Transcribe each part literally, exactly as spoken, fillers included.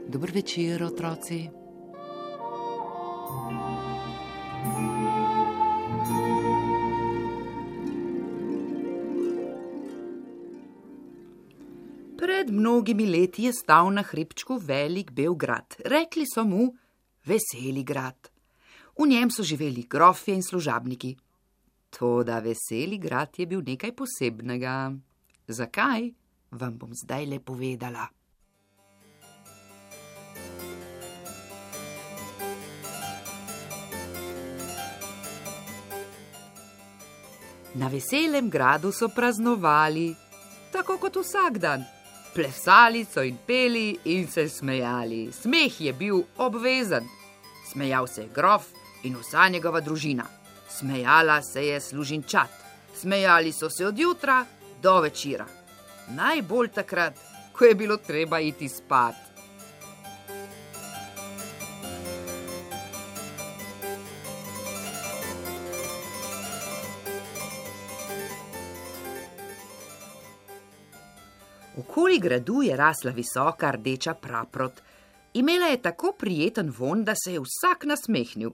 Dober večer, otroci. Pred mnogimi leti je stal na hribčku velik bel grad. Rekli so mu Veseli grad. V njem so živeli grofje in služabniki. Toda Veseli grad je bil nekaj posebnega. Zakaj? Vam bom zdaj le povedala. Na Veselem gradu so praznovali, tako kot vsak dan. Plesali so in peli in se smejali. Smeh je bil obvezen. Smejal se je grof in vsa njegova družina. Smejala se je služinčat. Smejali so se od jutra do večera. Najbolj takrat, ko je bilo treba iti spat. Okoli gradu je rasla visoka rdeča praprot. Imela je tako prijeten vonj, da se je vsak nasmehnil.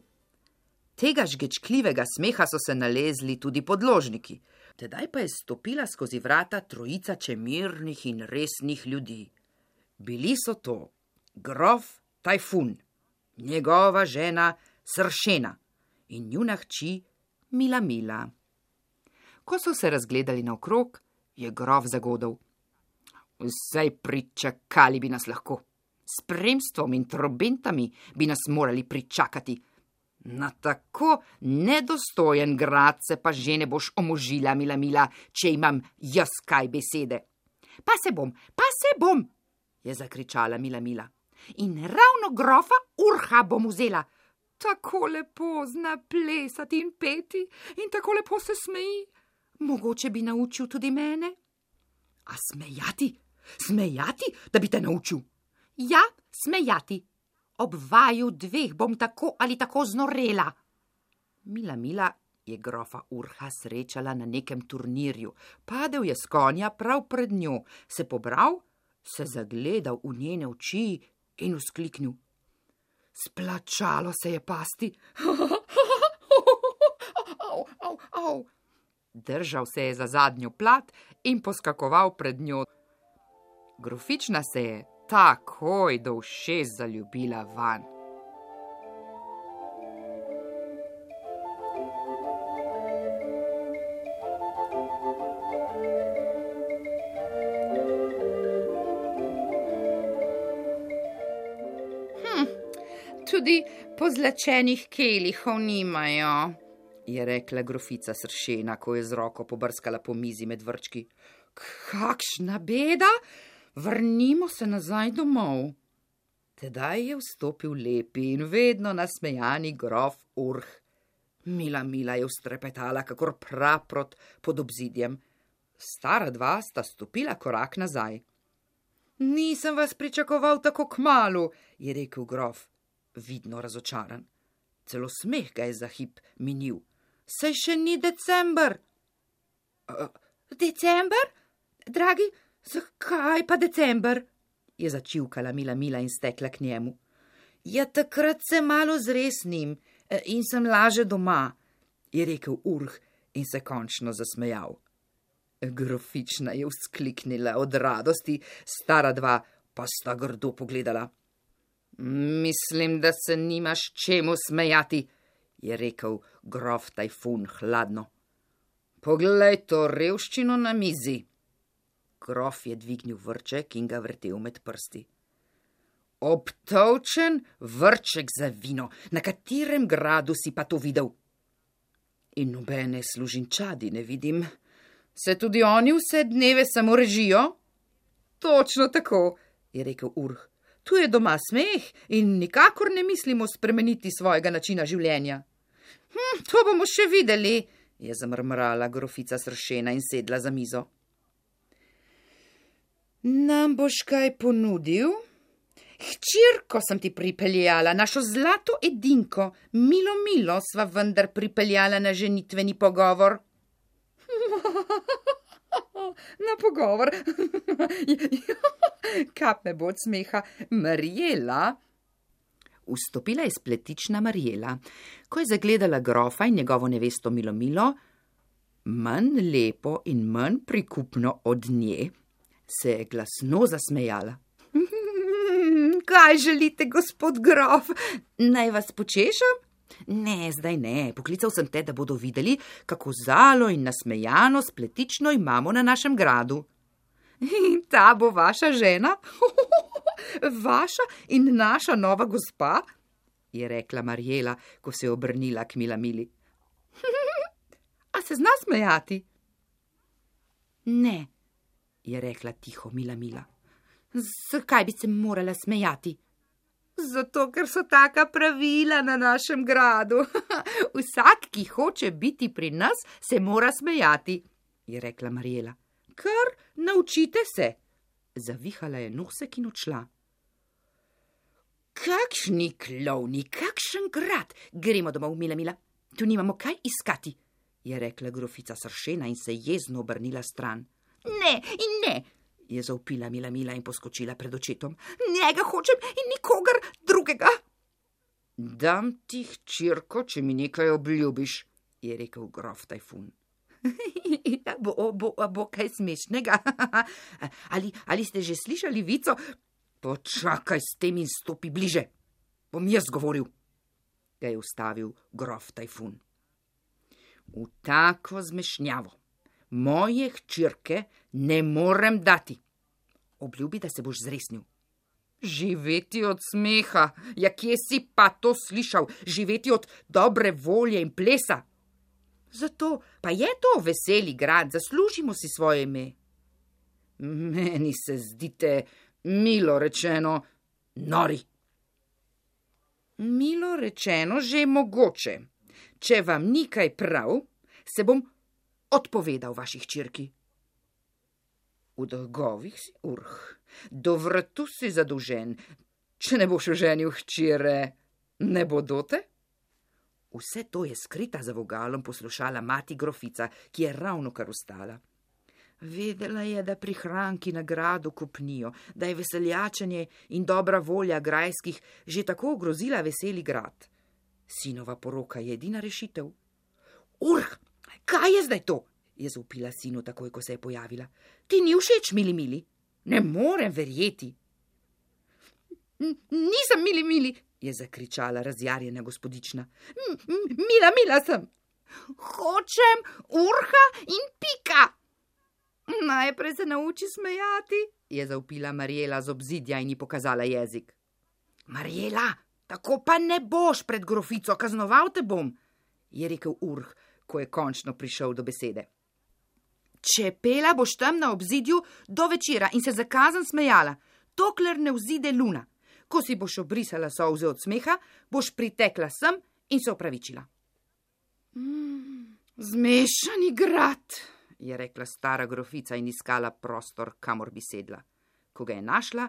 Tega žgečkljivega smeha so se nalezli tudi podložniki. Tedaj pa je stopila skozi vrata trojica čemernih in resnih ljudi. Bili so to grof Tajfun, njegova žena Sršena in njuna hči Milamila. Ko so se razgledali naokrog, je grof zagodel. Vsaj pričakali bi nas lahko. S spremstvom in trobentami bi nas morali pričakati. Na tako nedostojen grad se pa že ne boš omožila, Milamila, če imam jaz kaj besede. Pa se bom, pa se bom, je zakričala Milamila. In ravno grofa Urha bom vzela. Tako lepo zna plesati in peti in tako lepo se smeji. Mogoče bi naučil tudi mene. A smejati? Smejati, da bi te naučil? Ja, smejati. Ob vaju dveh bom tako ali tako znorela. Milamila je grofa Urha srečala na nekem turnirju. Padel je s konja prav pred njo, se pobral, se zagledal v njene oči in vzkliknil. Splačalo se je pasti. Au, au, au. Držal se je za zadnjo plat in poskakoval pred njo. Grofična se je takoj do ušes zaljubila vanj. Hm, tudi pozlačenih kelihov nimajo, je rekla grofica Sršena, ko je z roko pobrskala po mizi med vrčki. Kakšna beda! Vrnimo se nazaj domov. Tedaj je vstopil lepi in vedno nasmejani grof Urh. Milamila je vztrepetala, kakor praprot pod obzidjem. Stara dva sta stopila korak nazaj. Nisem vas pričakoval tako kmalu, je rekel grof, vidno razočaran. Celo smeh ga je za hip minil. Saj še ni december. Uh, december? Dragi, zakaj pa december? Je začivkala Milamila in stekla k njemu. Ja, takrat se malo zresnim in sem laže doma, je rekel Urh in se končno zasmejal. Grofična je vzkliknila od radosti, stara dva pa sta grdo pogledala. Mislim, da se nimaš čemu smejati, je rekel grof Tajfun hladno. Poglej to revščino na mizi. Grof je dvignil vrček in ga vrtel med prsti. Obtolčen vrček za vino, na katerem gradu si pa to videl? In nobene služinčadi ne vidim. Se tudi oni vse dneve samo režijo? Točno tako, je rekel Urh. Tu je doma smeh in nikakor ne mislimo spremeniti svojega načina življenja. Hm, to bomo še videli, je zamrmrala grofica Sršena in sedla za mizo. Nam boš kaj ponudil? Hčirko sem ti pripeljala, našo zlato edinko, milo, milo sva vendar pripeljala na ženitveni pogovor. Na pogovor. Kap me bo od smeha. Marjela. Vstopila je spletična Marjela. Ko je zagledala grofa in njegovo nevesto Milomilo, manj lepo in manj prikupno od nje, se je glasno zasmejala. Kaj želite, gospod grof? Naj vas počešam? Ne, zdaj ne. Poklical sem te, da bodo videli, kako zalo in nasmejano spletično imamo na našem gradu. In ta bo vaša žena? Vaša in naša nova gospa? Je rekla Marjela, ko se je obrnila k Milamili. A se zna smejati? Ne, je rekla tiho Milamila. Zakaj bi se morala smejati? Zato, ker so taka pravila na našem gradu. Vsak, ki hoče biti pri nas, se mora smejati, je rekla Marjela. Kar naučite se. Zavihala je nosek in odšla. Kakšni klovni, kakšen grad. Gremo domov, Milamila. Tu nimamo kaj iskati, je rekla grofica sršena in se jezno obrnila stran. Ne in ne, je zavpila Milamila in poskočila pred očetom. Njega hočem in nikogar drugega. Dam ti hčerko, če mi nekaj obljubiš, je rekel grof Tajfun. bo, bo, bo kaj smešnega. ali, ali ste že slišali vico? Počakaj s tem in stopi bliže. Bom jaz govoril, ga je ustavil grof Tajfun. V tako zmešnjavo moje hčerke ne morem dati. Obljubi, da se boš zresnil. Živeti od smeha, ja kje si pa to slišal? Živeti od dobre volje in plesa. Zato pa je to veseli grad, zaslužimo si svoje ime. Meni se zdite, milo rečeno, nori. Milo rečeno že mogoče. Če vam ni kaj prav, se bom odpovedal vaši hčerki. V dolgovih si urh, do vratu si zadolžen, če ne boš oženil hčere, ne bodote? Vse to je skrita za vogalom poslušala mati grofica, ki je ravno kar vstala. Vedela je, da prihranki na gradu kopnijo, da je veseljačenje in dobra volja grajskih že tako ogrozila veseli grad. Sinova poroka je edina rešitev. Urh, kaj je zdaj to? Je zavpila sinu takoj, ko se je pojavila. Ti ni všeč, mili mili? Ne morem verjeti. Nisem mili mili, je zakričala razjarjena gospodična. Mila, mila sem. Hočem urha in pika. Najprej se nauči smejati, je zavpila Marjela z obzidja in ji pokazala jezik. Marjela, tako pa ne boš pred grofico, kaznoval te bom, je rekel urh, ko je končno prišel do besede. Če pela boš tam na obzidju do večera in se za kazen smejala, dokler ne vzide luna. Ko si boš obrisala solze od smeha, boš pritekla sem in se opravičila. Mm, zmešani grad, je rekla stara grofica in iskala prostor, kamor bi sedla. Ko ga je našla,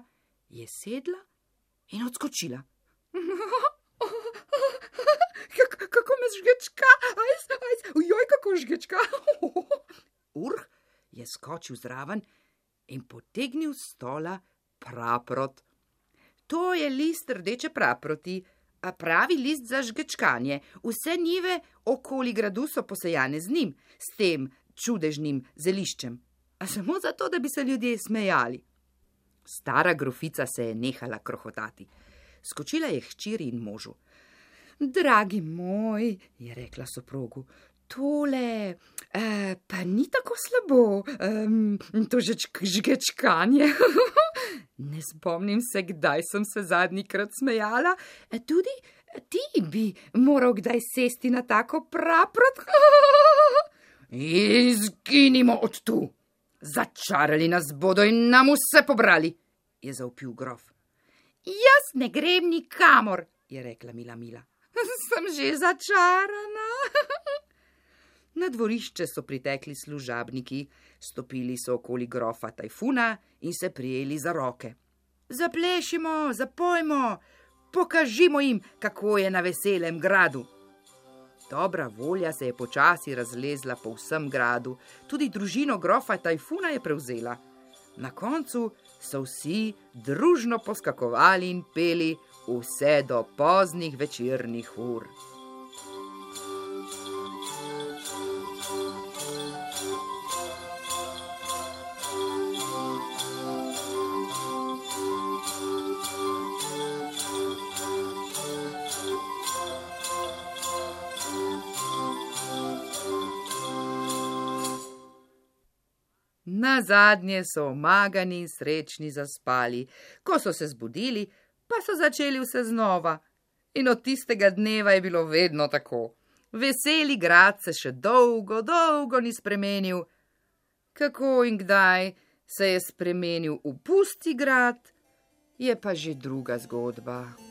je sedla in odskočila. Kako me žgečka, ajs, ajs, ujoj, kako žgečka. Urh je skočil zraven in potegnil s stola praprot. To je list rdeče praproti, a pravi list za žgečkanje. Vse njive okoli gradu so posejane z njim, s tem čudežnim zeliščem. A samo zato, da bi se ljudje smejali. Stara grofica se je nehala krohotati. Skočila je hčeri in možu. Dragi moj, je rekla soprogu, tole eh, pa ni tako slabo, eh, to žgečkanje. Ne spomnim se, kdaj sem se zadnjikrat smejala. Tudi ti bi moral kdaj sesti na tako praprot. Izginimo od tu. Začarali nas bodo in nam vse pobrali, je zavpil grof. Jaz ne grem nikamor, je rekla Mila Mila. Sem že začarana. Na dvorišče so pritekli služabniki, stopili so okoli grofa Tajfuna in se prijeli za roke. Zaplešimo, zapojmo, pokažimo jim, kako je na veselem gradu. Dobra volja se je počasi razlezla po vsem gradu, tudi družino grofa Tajfuna je prevzela. Na koncu so vsi družno poskakovali in peli vse do poznih večernih ur. Nazadnje so omagani in srečni zaspali, ko so se zbudili, pa so začeli vse znova. In od tistega dneva je bilo vedno tako. Veseli grad se še dolgo, dolgo ni spremenil. Kako in kdaj se je spremenil v pusti grad, je pa že druga zgodba.